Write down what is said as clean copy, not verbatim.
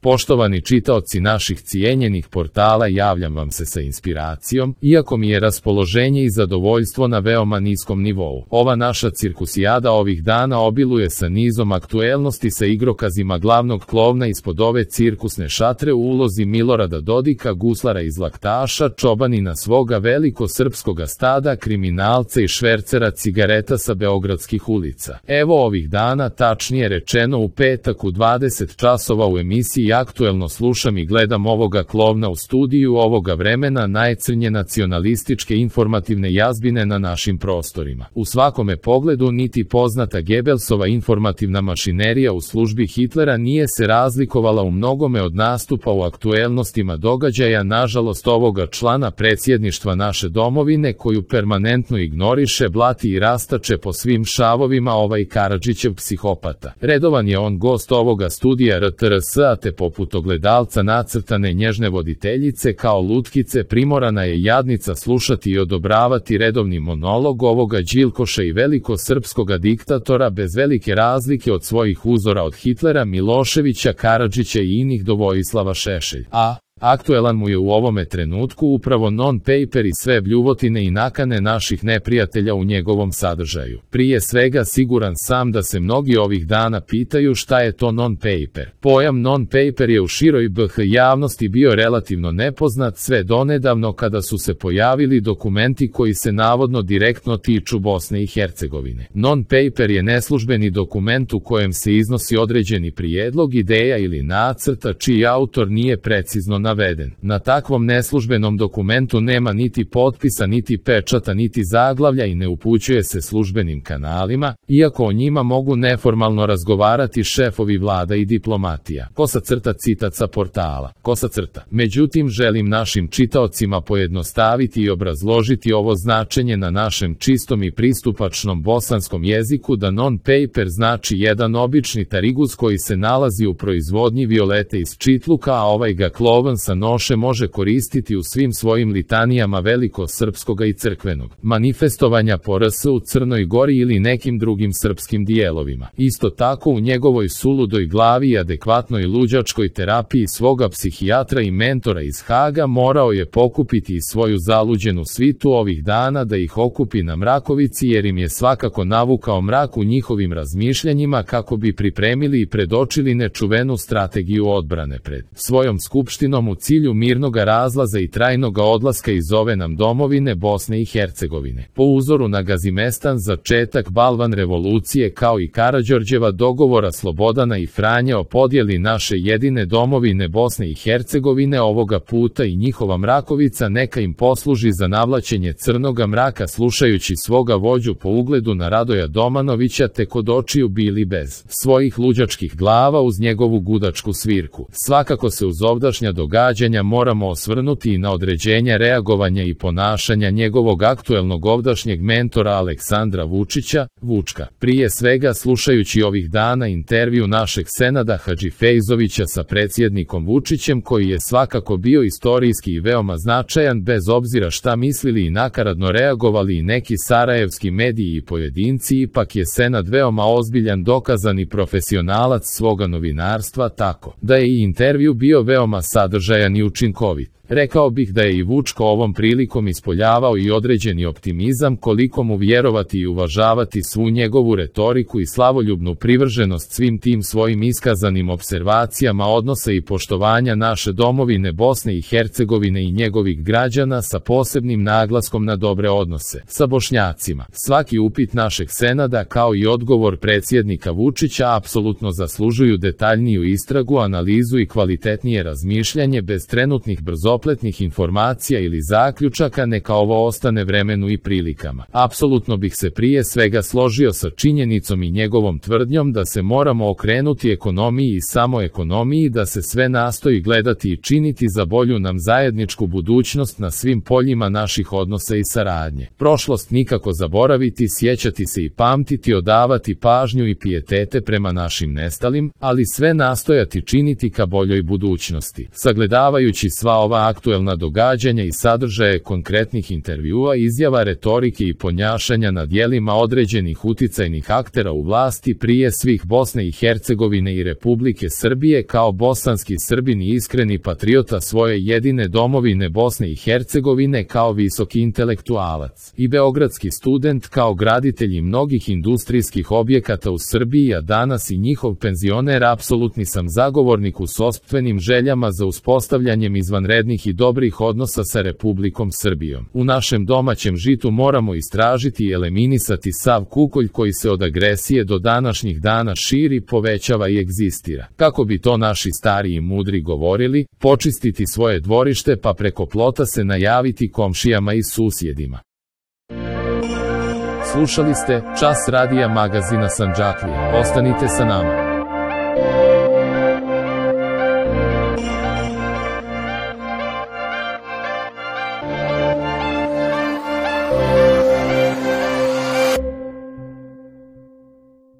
Poštovani čitaoci naših cijenjenih portala, javljam vam se sa inspiracijom, iako mi je raspoloženje i zadovoljstvo na veoma niskom nivou. Ova naša cirkusijada ovih dana obiluje sa nizom aktuelnosti sa igrokazima glavnog klovna ispod ove cirkusne šatre u ulozi Milorada Dodika, guslara iz Laktaša, čobanina svoga veliko srpskoga stada, kriminalca i švercera cigareta sa beogradskih ulica. Evo ovih dana, tačnije rečeno u petak u 20 časova u emisiji Aktuelno slušam i gledam ovoga klovna u studiju ovoga vremena najcrnje nacionalističke informativne jazbine na našim prostorima. U svakome pogledu niti poznata Gebelsova informativna mašinerija u službi Hitlera nije se razlikovala u mnogome od nastupa u aktuelnostima događaja, nažalost ovoga člana predsjedništva naše domovine koju permanentno ignoriše, blati i rastače po svim šavovima ovaj Karadžićev psihopata. Redovan je on gost ovoga studija RTRS, a te poput ogledalca nacrtane nježne voditeljice kao lutkice primorana je jadnica slušati i odobravati redovni monolog ovoga Đilkoša i velikosrpskoga diktatora bez velike razlike od svojih uzora od Hitlera, Miloševića, Karadžića i inih do Vojislava Šešelj. Aktuelan mu je u ovome trenutku upravo non-paper i sve bljuvotine i nakane naših neprijatelja u njegovom sadržaju. Prije svega siguran sam da se mnogi ovih dana pitaju šta je to non-paper. Pojam non-paper je u široj BH javnosti bio relativno nepoznat sve donedavno kada su se pojavili dokumenti koji se navodno direktno tiču Bosne i Hercegovine. Non-paper je neslužbeni dokument u kojem se iznosi određeni prijedlog, ideja ili nacrta čiji autor nije precizno naveden. Na takvom neslužbenom dokumentu nema niti potpisa, niti pečata, niti zaglavlja i ne upućuje se službenim kanalima, iako o njima mogu neformalno razgovarati šefovi vlada i diplomatija. Citat sa portala. Međutim, želim našim čitaocima pojednostaviti i obrazložiti ovo značenje na našem čistom i pristupačnom bosanskom jeziku da non-paper znači jedan obični tariguz koji se nalazi u proizvodnji violete iz čitluka, a ovaj ga klovan sa noše može koristiti u svim svojim litanijama velikosrpskoga i crkvenog manifestovanja po RS u Crnoj Gori ili nekim drugim srpskim dijelovima. Isto tako u njegovoj suludoj glavi i adekvatnoj luđačkoj terapiji svoga psihijatra i mentora iz Haga morao je pokupiti i svoju zaluđenu svitu ovih dana da ih okupi na Mrakovici, jer im je svakako navukao mrak u njihovim razmišljanjima kako bi pripremili i predočili nečuvenu strategiju odbrane pred svojom skupštinom u cilju mirnoga razlaza i trajnoga odlaska iz ove nam domovine Bosne i Hercegovine. Po uzoru na Gazimestan, začetak balvan revolucije kao i Karađorđeva dogovora Slobodana i Franje o podjeli naše jedine domovine Bosne i Hercegovine, ovoga puta i njihova Mrakovica neka im posluži za navlačenje crnoga mraka slušajući svoga vođu po ugledu na Radoja Domanovića te kod očiju bili bez svojih luđačkih glava uz njegovu gudačku svirku. Svakako se uz ovdašnja događanja moramo osvrnuti i na određenja reagovanja i ponašanja njegovog aktuelnog ovdašnjeg mentora Aleksandra Vučića, Vučka. Prije svega slušajući ovih dana intervju našeg Senada Hadžifejzovića sa predsjednikom Vučićem koji je svakako bio istorijski i veoma značajan bez obzira šta mislili i nakaradno reagovali i neki sarajevski mediji i pojedinci, ipak je Senad veoma ozbiljan, dokazani profesionalac svoga novinarstva, tako da je i intervju bio veoma sadržajan i učinkovit. Rekao bih da je i Vučko ovom prilikom ispoljavao i određeni optimizam koliko mu vjerovati i uvažavati svu njegovu retoriku i slavoljubnu privrženost svim tim svojim iskazanim observacijama odnosa i poštovanja naše domovine Bosne i Hercegovine i njegovih građana sa posebnim naglaskom na dobre odnose sa Bošnjacima. Svaki upit našeg Senada kao i odgovor predsjednika Vučića apsolutno zaslužuju detaljniju istragu, analizu i kvalitetnije razmišljanje bez trenutnih brzopletnih informacija ili zaključaka, neka ovo ostane vremenu i prilikama. Apsolutno bih se prije svega složio sa činjenicom i njegovom tvrdnjom da se moramo okrenuti ekonomiji i samo ekonomiji, da se sve nastoji gledati i činiti za bolju nam zajedničku budućnost na svim poljima naših odnosa i saradnje. Prošlost nikako zaboraviti, sjećati se i pamtiti, odavati pažnju i pijetete prema našim nestalim, ali sve nastojati činiti ka boljoj budućnosti. Sagledavati Sagledavajući sva ova aktuelna događanja i sadržaje konkretnih intervjua, izjava, retorike i ponjašanja na djelima određenih uticajnih aktera u vlasti, prije svih Bosne i Hercegovine i Republike Srbije, kao bosanski Srbin i iskreni patriota svoje jedine domovine Bosne i Hercegovine, kao visoki intelektualac i beogradski student, kao graditelj mnogih industrijskih objekata u Srbiji, a danas i njihov penzioner, apsolutni sam zagovornik u sopstvenim željama za uspostavljanjem izvanrednih i dobrih odnosa sa Republikom Srbijom. U našem domaćem žitu moramo istražiti i eliminisati sav kukolj koji se od agresije do današnjih dana širi, povećava i egzistira. Kako bi to naši stari i mudri govorili, počistiti svoje dvorište pa preko plota se najaviti komšijama i susjedima. Slušali ste Čas radija magazina Sandžaklija. Ostanite sa nama.